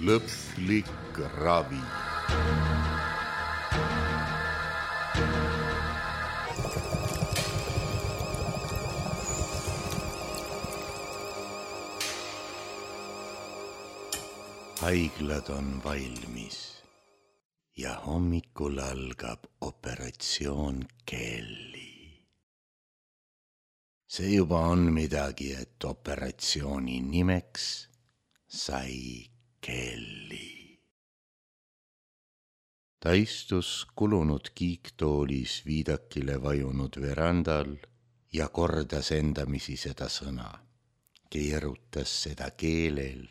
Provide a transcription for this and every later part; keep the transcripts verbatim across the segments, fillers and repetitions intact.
Lõplik ravi. Haiglad on valmis ja hommikul algab operatsioon Kelly. See juba on midagi, et operatsiooni nimeks sai Kelly. Ta istus kulunud kiiktoolis viidakile vajunud verandal ja kordas endamisi seda sõna. Keerutas seda keelel,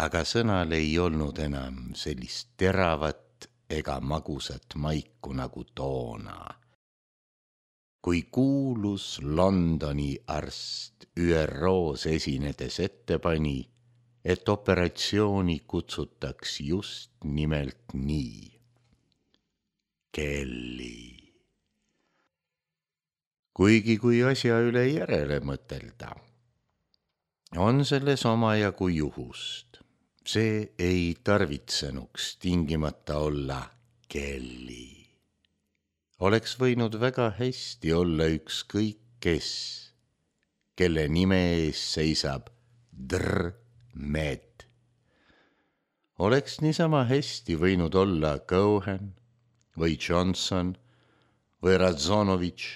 aga sõnal ei olnud enam sellist teravat ega magusat maiku nagu toona. Kui kuulus Londoni arst Ü R O's esinedes ette pani, et operatsiooni kutsutaks just nimelt nii. Kelly. Kuigi kui asja üle järele mõtelda, on selles omajagu juhust. See ei tarvitsenuks tingimata olla Kelly. Oleks võinud väga hästi olla ükskõik kes, kelle nime ees seisab Dr. Med. Oleks niisama hästi võinud olla Cohen või Johnson või Radzonovitš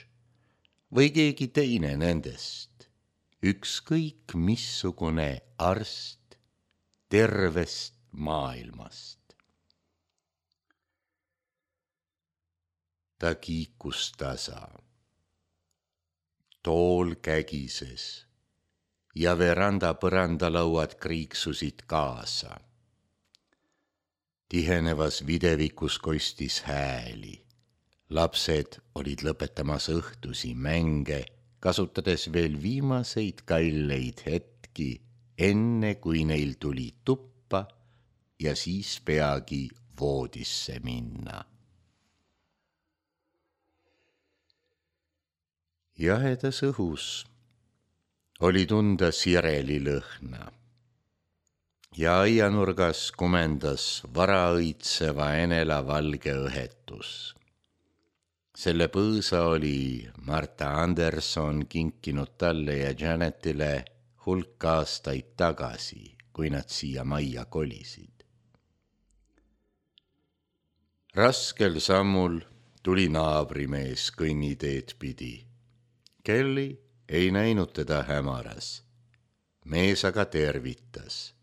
või keegi teine nendest, ükskõik missugune arst tervest maailmast. Ta kiikus tasa. Tool kägises ja veranda põrandalauad kriiksusid kaasa. Tihenevas videvikus kostis hääli. Lapsed olid lõpetamas õhtusi mänge, kasutades veel viimaseid kalleid hetki, enne kui neil tuli tuppa ja siis peagi voodisse minna. Jahedas õhus oli tunda sireli lõhna ja aianurgas kumendas varaõitseva enela valge õhetus. Selle põõsa oli Marta Anderson kinkinud talle ja Janetile hulk aastaid tagasi, kui nad siia majja kolisid. Raskel sammul tuli naabrimees kõnniteed pidi. Kelly ei näinud teda hämaras. Mees aga tervitas.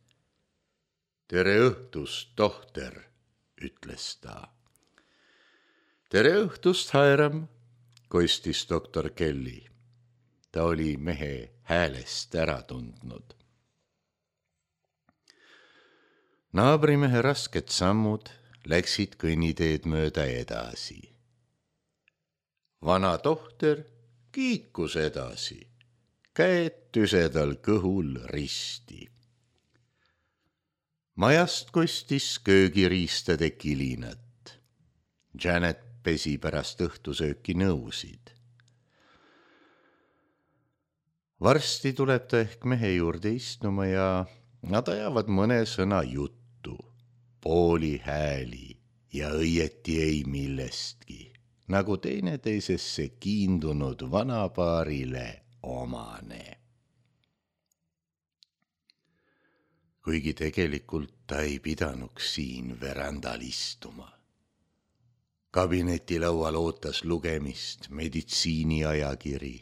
Tere õhtust, tohter, ütles ta. Tere õhtust, Hiram, kostis doktor Kelly. Ta oli mehe häälest ära tundnud. Naabrimehe rasked sammud läksid kõnniteed mööda edasi. Vana tohter kiikus edasi, käed tüsedal kõhul risti. Majast kostis köögiriistade kilinat. Janet pesi pärast õhtusööki nõusid. Varsti tuleb ta ehk mehe juurde istuma ja nad ajavad mõne sõna juttu, pooli hääli ja õieti ei millestki, nagu teineteisesse kiindunud vanapaarile omane. Kuigi tegelikult ta ei pidanuks siin verandal istuma. Kabinetilaual ootas lugemist meditsiiniajakiri.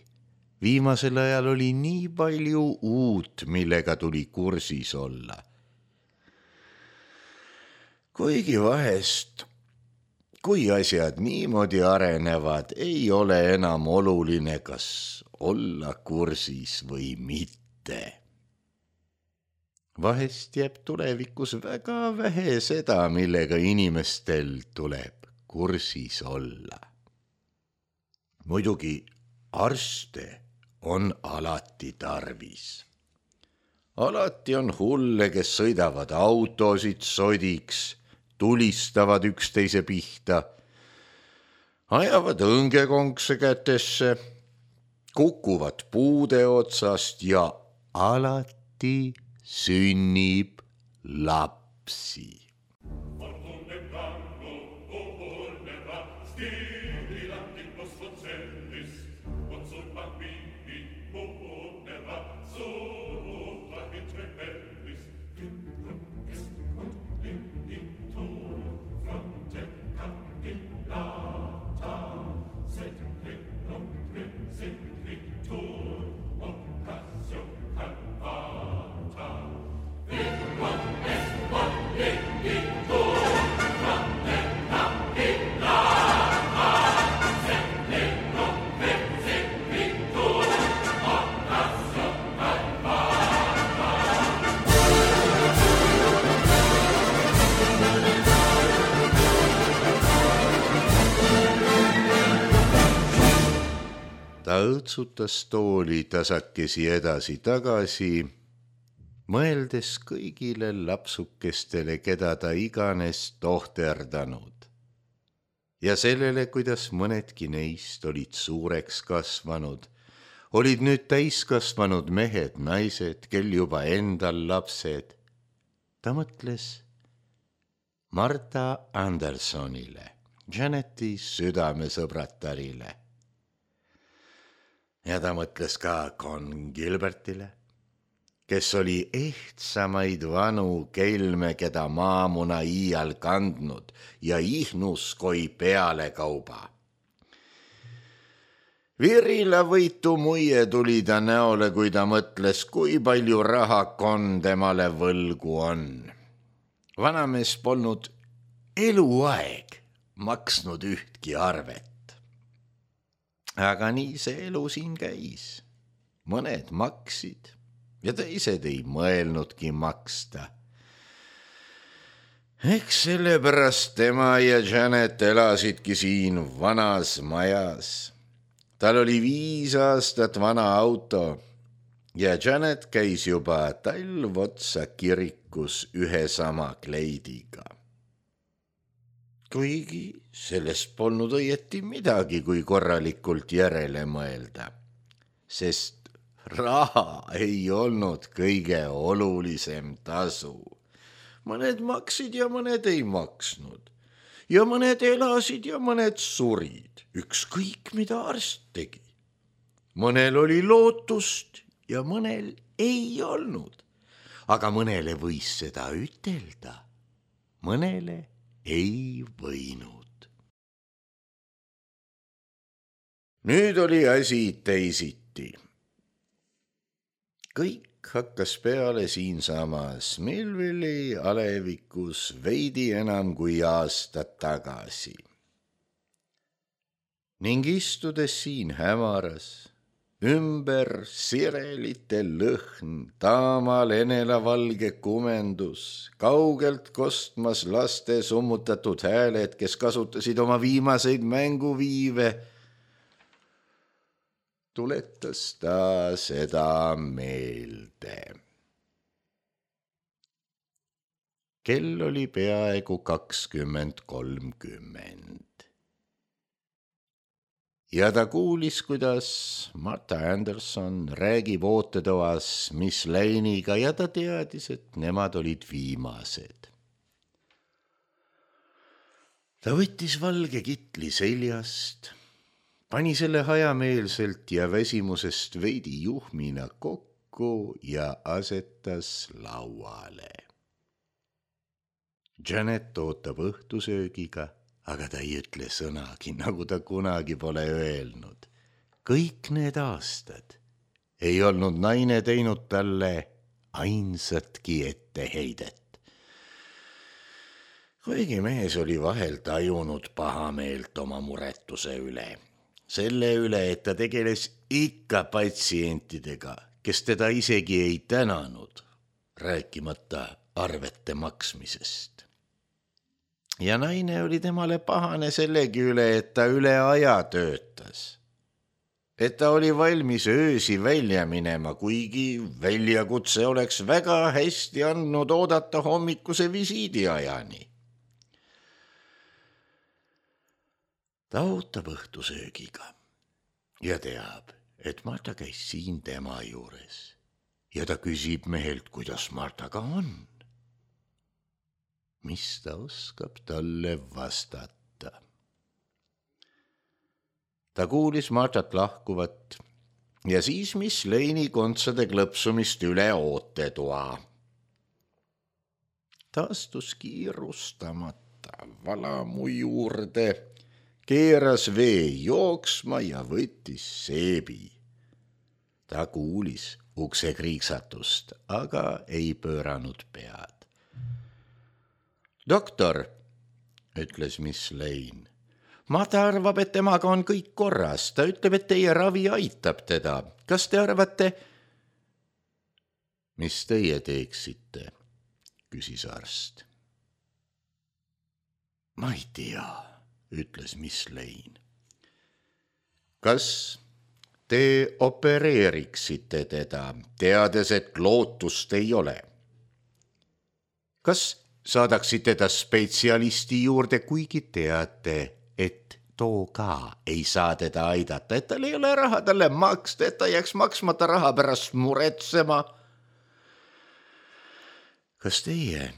Viimasel ajal oli nii palju uut, millega tuli kursis olla. Kuigi vahest, kui asjad niimoodi arenevad, ei ole enam oluline, kas olla kursis või mitte. Vahest jääb tulevikus väga vähe seda, millega inimestel tuleb kursis olla. Muidugi arste on alati tarvis. Alati on hulle, kes sõidavad autosid sodiks, tulistavad üksteise pihta, ajavad õngekonkse kätesse, kukuvad puude otsast ja alati sünnib laps. lapsi. Ta õõtsutas tooli tasakesi edasi-tagasi, mõeldes kõigile lapsukestele, keda ta iganes tohterdanud. Ja sellele, kuidas mõnedki neist olid suureks kasvanud, olid nüüd täiskasvanud mehed, naised, kel juba endal lapsed. Ta mõtles Marta Andersonile, Janeti südamesõbratarile. Ja ta mõtles ka Con Gilbertile, kes oli ehtsamaid vanu kelme, keda maamuna iial kandnud ja ihnus koi peale kauba. Virilavõitu muie tuli ta näole, kui ta mõtles, kui palju raha Con temale võlgu on. Vanamees polnud eluaeg maksnud ühtki arvet. Aga nii see elu siin käis. Mõned maksid ja teised ei mõelnudki maksta. Eks sellepärast tema ja Janet elasidki siin vanas majas. Tal oli viis aastat vana auto ja Janet käis juba talv otsa kirikus ühe sama kleidiga. Kuigi sellest polnud õieti midagi, kui korralikult järele mõelda, sest raha ei olnud kõige olulisem tasu. Mõned maksid ja mõned ei maksnud. Ja mõned elasid ja mõned surid, ükskõik mida arst tegi. Mõnel oli lootust ja mõnel ei olnud. Aga mõnele võis seda ütelda, mõnele ei võinud. Nüüd oli asi teisiti. Kõik hakkas peale siinsamas Millville'i alevikus veidi enam kui aastat tagasi. Ning istudes siin hämaras, ümber sirelite lõhn, taamal enelavalge kumendus, kaugelt kostmas laste summutatud hääled, kes kasutasid oma viimaseid mänguviive, tuletas ta seda meelde. Kell oli peaaegu kakskümmend kolmkümmend. Ja ta kuulis, kuidas Marta Anderson räägib ootetoas Miss Lane'iga ja ta teadis, et nemad olid viimased. Ta võttis valge kitli seljast, pani selle hajameelselt ja väsimusest veidi juhmina kokku ja asetas lauale. Janet ootab õhtusöögiga, aga ta ei ütle sõnagi, nagu ta kunagi pole öelnud. Kõik need aastad ei olnud naine teinud talle ainsatki etteheidet. Kuigi mees oli vahel tajunud pahameelt oma muretuse üle. Selle üle, et ta tegeles ikka patsientidega, kes teda isegi ei tänanud, rääkimata arvete maksmisest. Ja naine oli temale pahane sellegi üle, et ta üle aja töötas. Et ta oli valmis öösi välja minema, kuigi väljakutse oleks väga hästi andnud oodata hommikuse visiidiajani. Ta ootab õhtusöögiga ja teab, et Marta käis siin tema juures. Ja ta küsib mehelt, kuidas Martaga on. mis ta oskab talle vastata. Ta kuulis Martat lahkuvat ja siis Miss Lane'i kontsade klõpsumist üle ootetoa. Ta astus kiirustamata valamu juurde, keeras vee jooksma ja võttis seebi. Ta kuulis ukse kriiksatust, aga ei pööranud pead. Doktor, ütles Miss Lane, Marta arvab, et temaga on kõik korras. Ta ütleb, et teie ravi aitab teda. Kas te arvate? Mis teie teeksite? Küsis arst. Ma ei tea, ütles Miss Lane. Kas te opereeriksite teda, teades, et lootust ei ole? Kas saadaksite ta spetsialisti juurde, kuigi teate, et too ka ei saa teda aidata, et tal ei ole raha talle maksta, et ta jääks maksmata raha pärast muretsema? Kas teie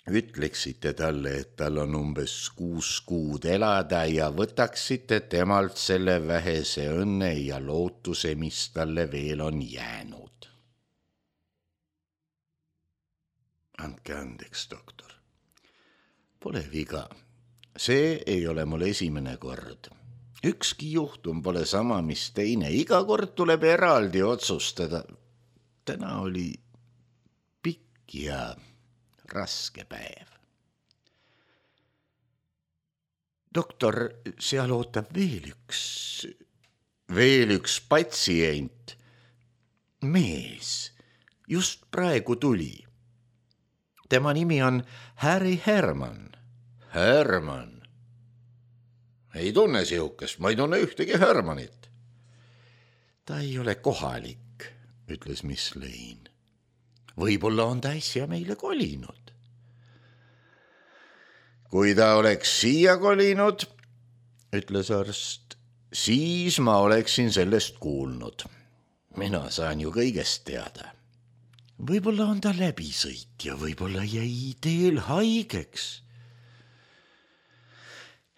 ütleksite talle, et tal on umbes kuus kuud elada ja võtaksite temalt selle vähese õnne ja lootuse, mis talle veel on jäänud? Andke andeks, doktor. Pole viga. See ei ole mul esimene kord. Ükski juhtum pole sama, mis teine. Iga kord tuleb eraldi otsustada. Täna oli pikk ja raske päev. Doktor, seal ootab veel üks, veel üks patsient. Mees, just praegu tuli. Tema nimi on Harry Herman. Herman? Ei tunne sihukest, ma ei tunne ühtegi Hermanit. Ta ei ole kohalik, ütles Miss Lane. Võib-olla on ta äsja meile kolinud. Kui ta oleks siia kolinud, ütles arst, siis ma oleksin sellest kuulnud. Mina saan ju kõigest teada. Võib-olla on ta läbisõit ja võib-olla jäi teel haigeks.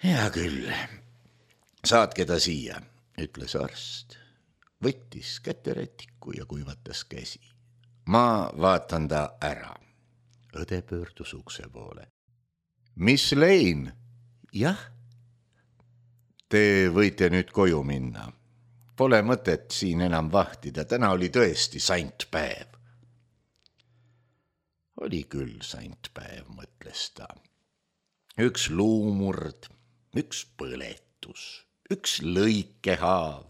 Hea küll, saatke ta siia, ütles arst. Võttis käterätiku ja kuivatas käsi. Ma vaatan ta ära. Õde pöördus ukse poole. Miss Lane? Jah? Te võite nüüd koju minna. Pole mõtet siin enam vahtida. Täna oli tõesti sant päev. Oli küll sant päev, mõtles ta. Üks luumurd, üks põletus, üks lõikehaav,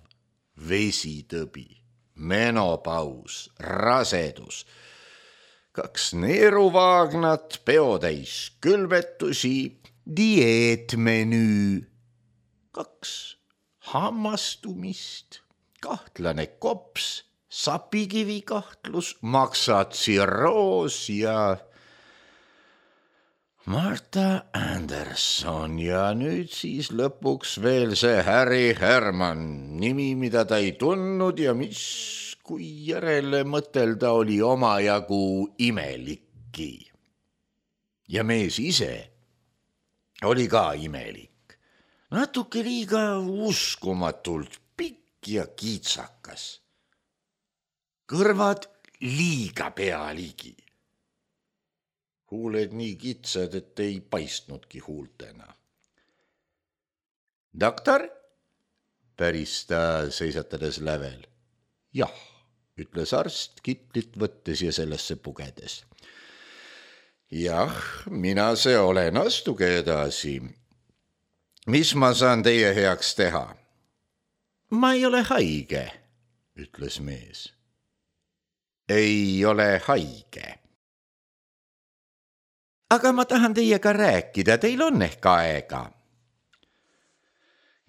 vesitõbi. Menopaus, rasedus, kaks neeruvaagnat, peotäis külmetusi, dieetmenüü, kaks hammastumist, kahtlane kops, sapikivi kahtlus, maksatsirroos ja Marta Anderson ja nüüd siis lõpuks veel see Harry Herman, nimi, mida ta ei tundnud ja mis, kui järele mõtelda, oli omajagu imelikki. Ja mees ise oli ka imelik. Natuke liiga uskumatult pikk ja kiitsakas. Kõrvad liiga pealigi. Huuled nii kitsad, et ei paistnudki huultena. Doktor? Päris ta seisatades lävel. Jah, ütles arst kitlit võttes ja sellesse pugedes. Jah, mina see olen, astuge edasi. Mis ma saan teie heaks teha? Ma ei ole haige, ütles mees. Ei ole haige. Aga ma tahan teiega rääkida, teil on ehk aega.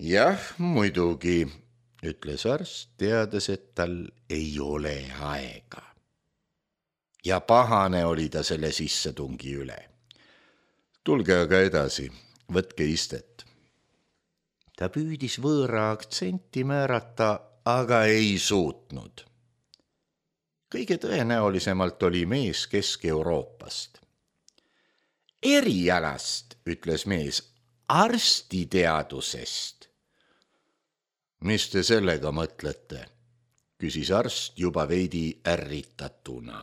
Jah, muidugi, ütles arst, teades, et tal ei ole aega. Ja pahane oli ta selle sissetungi üle. Tulge aga edasi, võtke istet. Ta püüdis võõra aktsenti määrata, aga ei suutnud. Kõige tõenäolisemalt oli mees Kesk-Euroopast. erialast, ütles mees, arstiteadusest. Mis te sellega mõtlete? Küsis arst juba veidi ärritatuna.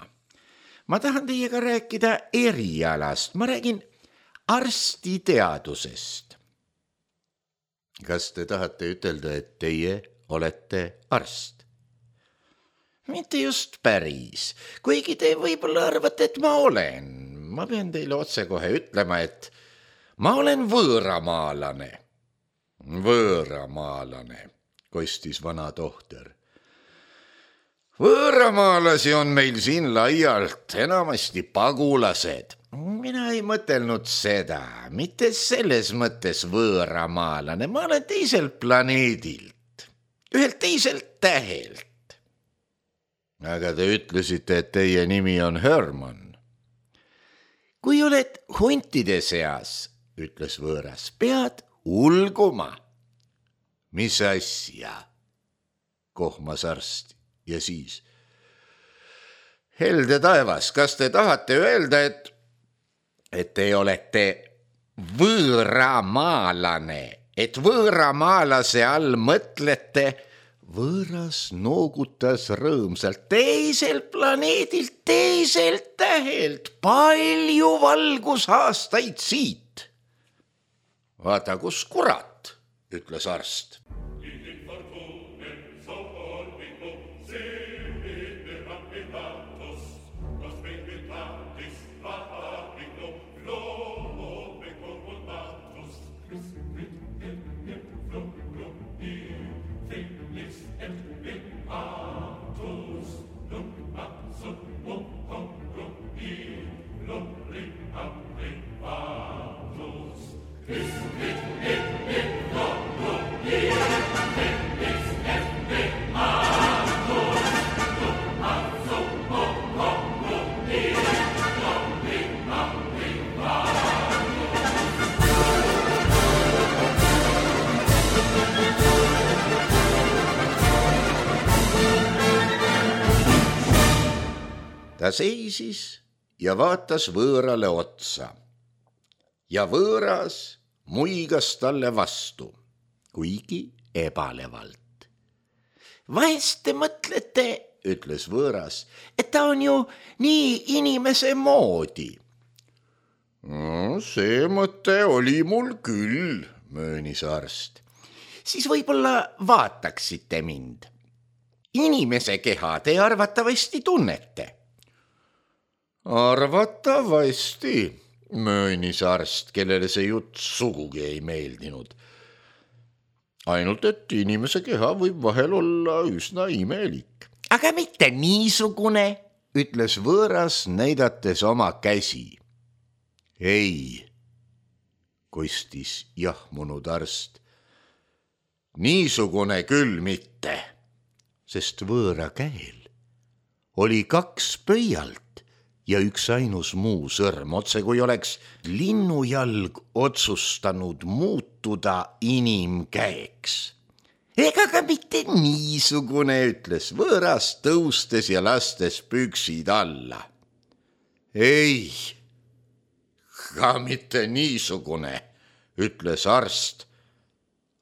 Ma tahan teiega rääkida erialast, ma räägin arstiteadusest. Kas te tahate ütelda, et teie olete arst? Mitte just päris, kuigi te võib-olla arvate, et ma olen. Ma pean teile otsekohe ütlema, et ma olen võõramaalane. Võõramaalane, kostis vana tohter. Võõramaalasi on meil siin laialt, enamasti pagulased. Mina ei mõtelnud seda, mitte selles mõttes võõramaalane, ma olen teiselt planeedilt, ühelt teiselt tähelt. Aga te ütlesite, et teie nimi on Herman. Kui oled huntide seas, ütles võõras, pead ulguma. Mis asja? Kohmas arst ja siis. Helde taevas, kas te tahate öelda, et, et te olete võõramaalane, et võõramaalase all mõtlete. Võõras noogutas rõõmsalt, teiselt planeedilt, teiselt tähelt, palju valgusaastaid siit. Vaata, kus kurat, ütles arst. Ta seisis ja vaatas võõrale otsa ja võõras muigas talle vastu, kuigi ebalevalt. Vahest te mõtlete, ütles võõras, et ta on ju nii inimese moodi. No, see mõte oli mul küll, möönis arst. Siis võib-olla vaataksite mind. Inimese keha te arvatavasti tunnete. Arvatavasti, möönis arst, kellele see jutt sugugi ei meeldinud. Ainult, et inimese keha võib vahel olla üsna imelik. Aga mitte niisugune, ütles võõras, näidates oma käsi. Ei, kostis jahmunud arst. Niisugune küll mitte, sest võõra käel oli kaks pöialt ja üks ainus muu sõrm, otse kui oleks linnujalg otsustanud muutuda inimkäeks. Ega ka mitte niisugune, ütles võõras, tõustes ja lastes püksid alla. Ei, ka mitte niisugune, ütles arst,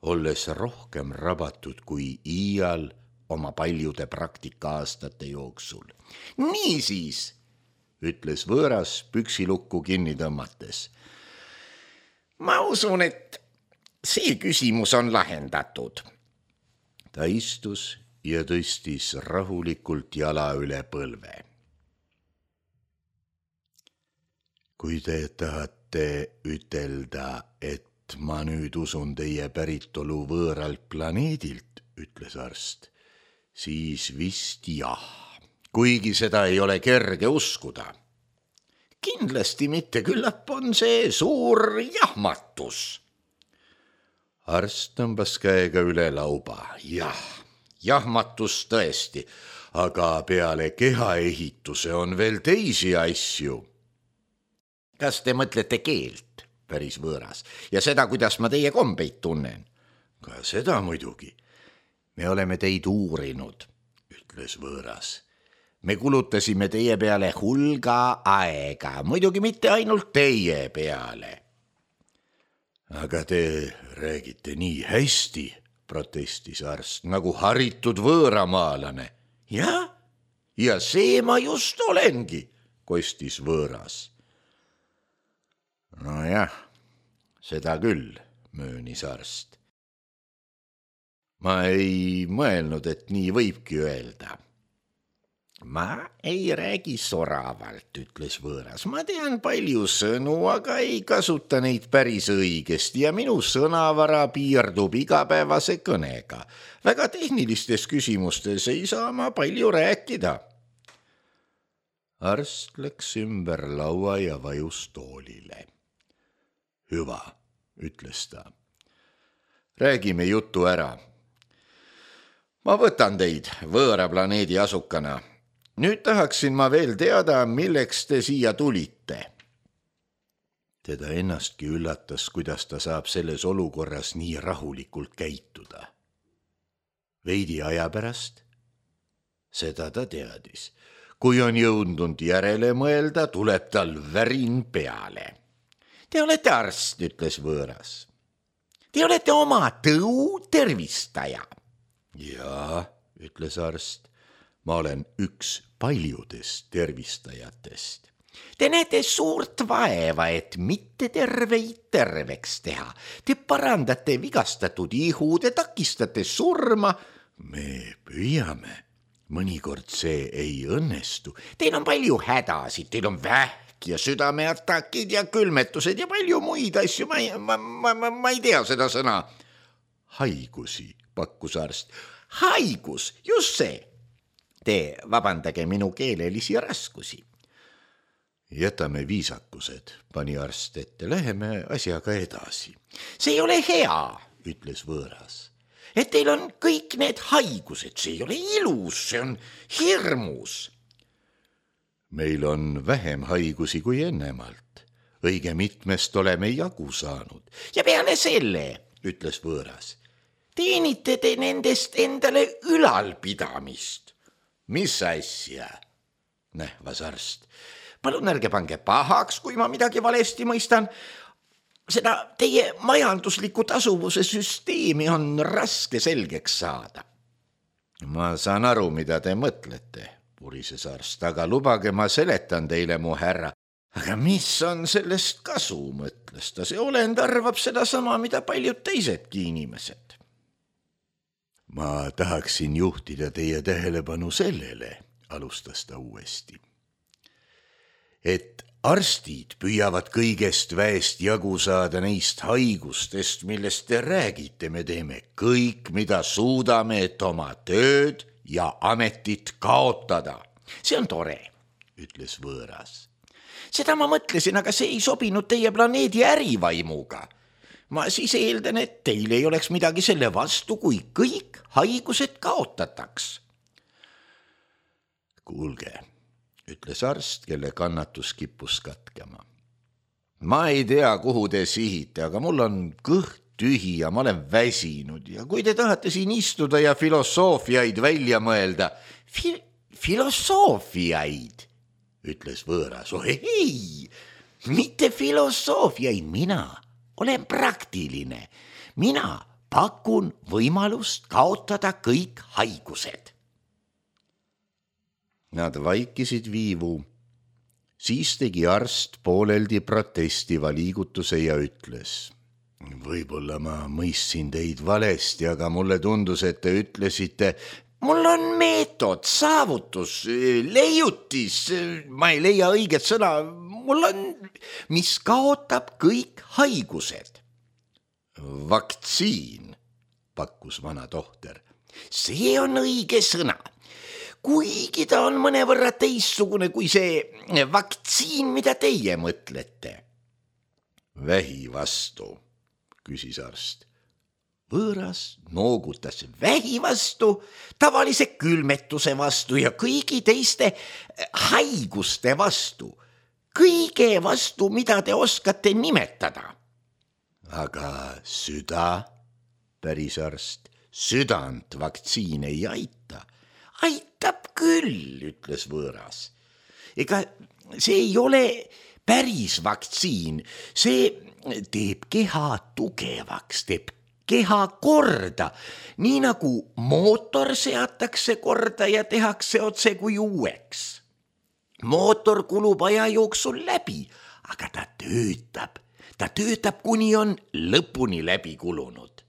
olles rohkem rabatud kui iial oma paljude praktikaastate jooksul. Niisiis, ütles võõras püksilukku kinni tõmmates. Ma usun, et see küsimus on lahendatud. Ta istus ja tõstis rahulikult jala üle põlve. Kui te tahate ütelda, et ma nüüd usun teie päritolu võõralt planeedilt, ütles arst, siis vist jah. Kuigi seda ei ole kerge uskuda. Kindlasti mitte, küllap on see suur jahmatus. Arst tõmbas käega üle lauba. Jah, jahmatus tõesti, aga peale kehaehituse on veel teisi asju. Kas te mõtlete keelt, päris võõras, ja seda, kuidas ma teie kombeid tunnen? Ka seda muidugi. Me oleme teid uurinud, ütles võõras. me kulutasime teie peale hulga aega, muidugi mitte ainult teie peale. Aga te räägite nii hästi, protestis arst, nagu haritud võõramaalane. Ja, ja see ma just olengi, kostis võõras. Nojah, seda küll, möönis arst. Ma ei mõelnud, et nii võibki öelda. Ma ei räägi soravalt, ütles võõras. Ma tean palju sõnu, aga ei kasuta neid päris õigesti ja minu sõnavara piirdub igapäevase kõnega. Väga tehnilistes küsimustes ei saa ma palju rääkida. Arst läks ümber laua ja vajus toolile. Hüva, ütles ta. Räägime jutu ära. Ma võtan teid võõra planeedi asukana. Nüüd tahaksin ma veel teada, milleks te siia tulite. Teda ennastki üllatas, kuidas ta saab selles olukorras nii rahulikult käituda. Veidi aja pärast? Seda ta teadis. Kui on jõudnud järele mõelda, tuleb tal värin peale. Te olete arst, ütles võõras. Te olete oma tõu tervistaja. Jaa, ütles arst, ma olen üks paljudest tervistajatest. Te näete suurt vaeva, et mitte terveid terveks teha. Te parandate vigastatud ihu, te takistate surma. Me püüame. Mõnikord see ei õnnestu. Teil on palju hädasid, teil on vähk ja südameatakid ja külmetused ja palju muid asju. Ma ei, ma, ma, ma, ma ei tea seda sõna. Haigusi, pakkus arst. Haigus, just see. Te vabandage minu keelelisi raskusi. Jätame viisakused, pani arst ette. Läheme asjaga edasi. See ei ole hea, ütles võõras. Et teil on kõik need haigused, see ei ole ilus, see on hirmus. Meil on vähem haigusi kui ennemalt. Õige mitmest oleme jagu saanud. Ja peale selle, ütles võõras, teenite te nendest endale ülalpidamist. Mis asja? Nähvas arst. Palun ärge pange pahaks, kui ma midagi valesti mõistan. Seda teie majandusliku tasuvuse süsteemi on raske selgeks saada. Ma saan aru, mida te mõtlete, purises arst, aga lubage ma seletan teile, mu härra. Aga mis on sellest kasu, mõtles ta. See olend arvab seda sama, mida paljud teisedki inimesed. Ma tahaksin juhtida teie tähelepanu sellele, alustas ta uuesti, et arstid püüavad kõigest väest jagu saada neist haigustest, millest te räägite. Me teeme kõik, mida suudame, et oma tööd ja ametit kaotada. See on tore, ütles võõras. Seda ma mõtlesin, aga see ei sobinud teie planeedi ärivaimuga. Ma siis eeldan, et teil ei oleks midagi selle vastu, kui kõik haigused kaotataks. Kuulge, ütles arst, kelle kannatus kippus katkema. Ma ei tea, kuhu te sihite, aga mul on kõht tühi ja ma olen väsinud ja kui te tahate siin istuda ja filosoofiaid välja mõelda, fi- filosoofiaid, ütles võõras. Oh ei, mitte filosoofiaid, mina olen praktiline. Mina pakun võimalust kaotada kõik haigused. Nad vaikisid viivu. Siis tegi arst pooleldi protestiva liigutuse ja ütles. Võib-olla ma mõistsin teid valesti, aga mulle tundus, et te ütlesite, mul on meetod, saavutus, leiutis, ma ei leia õiget sõna, mul on, mis kaotab kõik haigused. Vaktsiin, pakkus vana tohter. See on õige sõna. Kuigi ta on mõnevõrra teistsugune kui see vaktsiin, mida teie mõtlete. Vähi vastu, küsis arst. Võõras noogutas vähi vastu, tavalise külmetuse vastu ja kõigi teiste haiguste vastu. Kõige vastu, mida te oskate nimetada. Aga süda, päris arst, südant vaktsiin ei aita. aitab küll, ütles võõras. Ega see ei ole päris vaktsiin, see teeb keha tugevaks, teeb keha korda, nii nagu mootor seatakse korda ja tehakse otse kui uueks. Mootor kulub aja jooksul läbi, aga ta töötab, ta töötab, kuni on lõpuni läbi kulunud.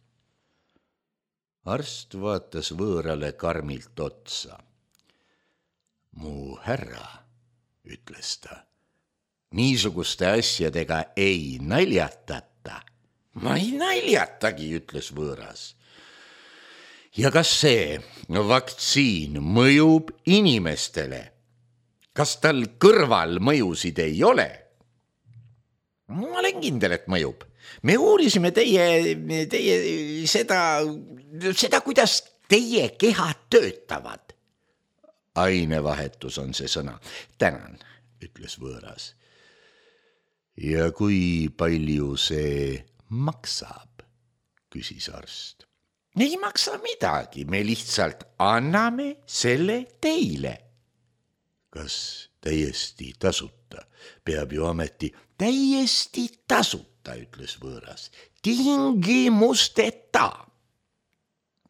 Arst vaatas võõrale karmilt otsa. Mu härra, ütles ta, niisuguste asjadega ei naljatata. Ma ei naljatagi, ütles võõras. Ja kas see vaktsiin mõjub inimestele? Kas tal kõrval mõjusid ei ole? Ma olen kindel, et mõjub. Me uurisime teie, teie seda, seda, kuidas teie kehad töötavad. Ainevahetus on see sõna. Tänan, ütles võõras. Ja kui palju see maksab, küsis arst. Ei maksa midagi, me lihtsalt anname selle teile. Kas täiesti tasuta? Peab ju ameti täiesti tasuta, ütles võõras. Tingimusteta.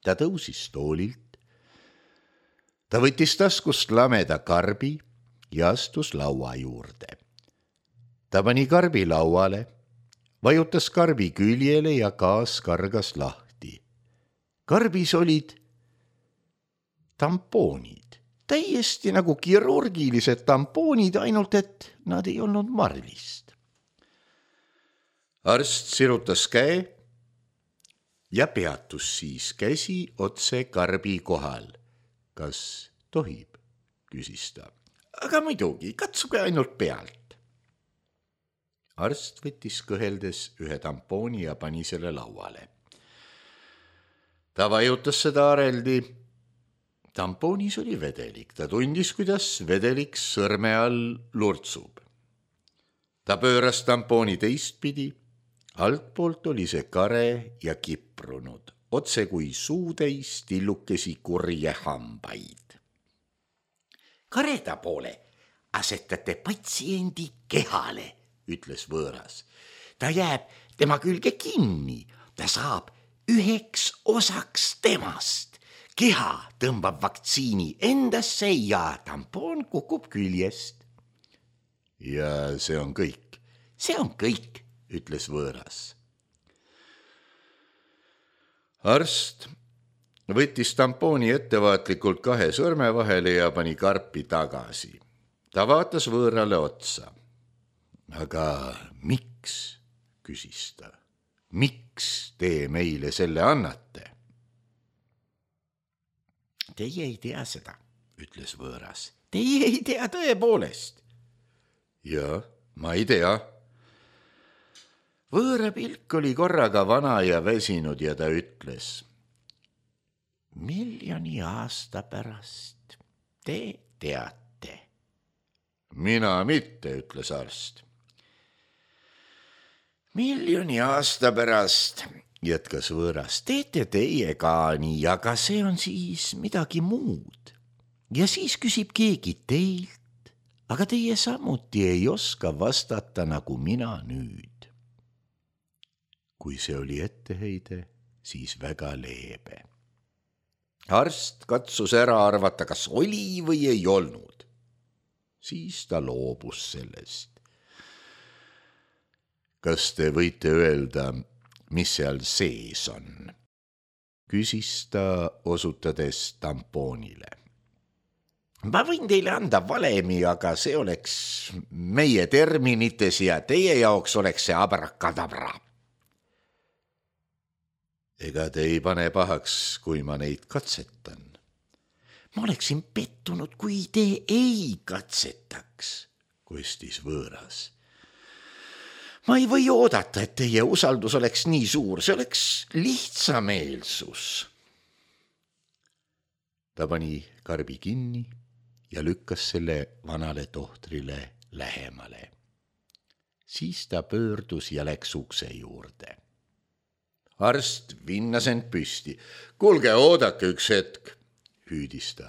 Ta tõusis toolilt. Ta võttis taskust lameda karbi ja astus laua juurde. Ta pani karbi lauale, vajutas karbi küljele ja gaas kargas lahti. Karbis olid tampoonid, täiesti nagu kirurgilised tampoonid, ainult et nad ei olnud marlist. Arst sirutas käe ja peatus siis käsi otse karbi kohal. Kas tohib, küsis ta. Aga muidugi, katsuge ainult pealt. Arst võttis kõheldes ühe tampooni ja pani selle lauale. Ta vajutas seda areldi. Tampoonis oli vedelik. Ta tundis, kuidas vedelik sõrme all lurtsub. Ta pööras tampooni teistpidi. Altpoolt oli see kare ja kiprunud, otse kui suutäis tillukesi kurje hambaid. Kareda poole asetate patsiendi kehale, ütles võõras. Ta jääb tema külge kinni, ta saab üheks osaks temast. Keha tõmbab vaktsiini endasse ja tampoon kukub küljest. Ja see on kõik. See on kõik, ütles võõras. Arst võttis tampooni ettevaatlikult kahe sõrme vahele ja pani karpi tagasi. Ta vaatas võõrale otsa. Aga miks, küsis ta, miks te meile selle annate? Teie ei tea seda, ütles võõras. Teie ei tea tõepoolest. Ja, ma ei tea. Võõra pilk oli korraga vana ja väsinud ja ta ütles. Miljoni aasta pärast te teate. Mina mitte, ütles arst. Miljoni aasta pärast, jätkas võõras, teete teie ka nii, aga see on siis midagi muud. Ja siis küsib keegi teilt, aga teie samuti ei oska vastata nagu mina nüüd. Kui see oli etteheide, siis väga leebe. Arst katsus ära arvata, kas oli või ei olnud. Siis ta loobus sellest. Kas te võite öelda, mis seal sees on? Küsis ta osutades tampoonile. Ma võin teile anda valemi, aga see oleks meie terminites ja teie jaoks oleks see abrakadabra. Ega te ei pane pahaks, kui ma neid katsetan. Ma oleksin pettunud, kui te ei katsetaks, kostis võõras. Ma ei või oodata, et teie usaldus oleks nii suur, see oleks lihtsameelsus. Ta pani karbi kinni ja lükkas selle vanale tohtrile lähemale. Siis ta pöördus ja läks ukse juurde. Arst vinnas end püsti. Kuulge, oodake üks hetk, hüüdis ta.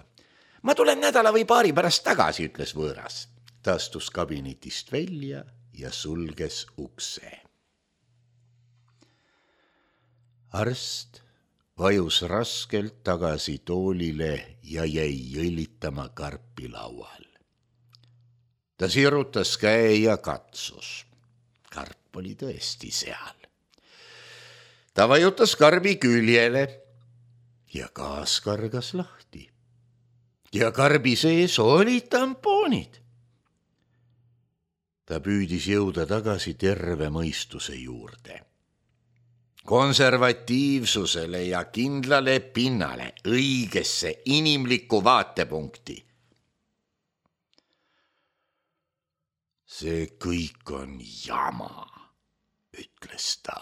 ma tulen nädala või paari pärast tagasi, ütles võõras. Ta astus kabinetist välja ja sulges ukse. Arst vajus raskelt tagasi toolile ja jäi jõllitama karpi laual. Ta sirutas käe ja katsus. Karp oli tõesti seal. Ta vajutas karbi küljele ja gaas kargas lahti. Ja karbi sees olid tampoonid. Ta püüdis jõuda tagasi terve mõistuse juurde. Konservatiivsusele ja kindlale pinnale, õigesse inimlikku vaatepunkti. See kõik on jama, ütles ta.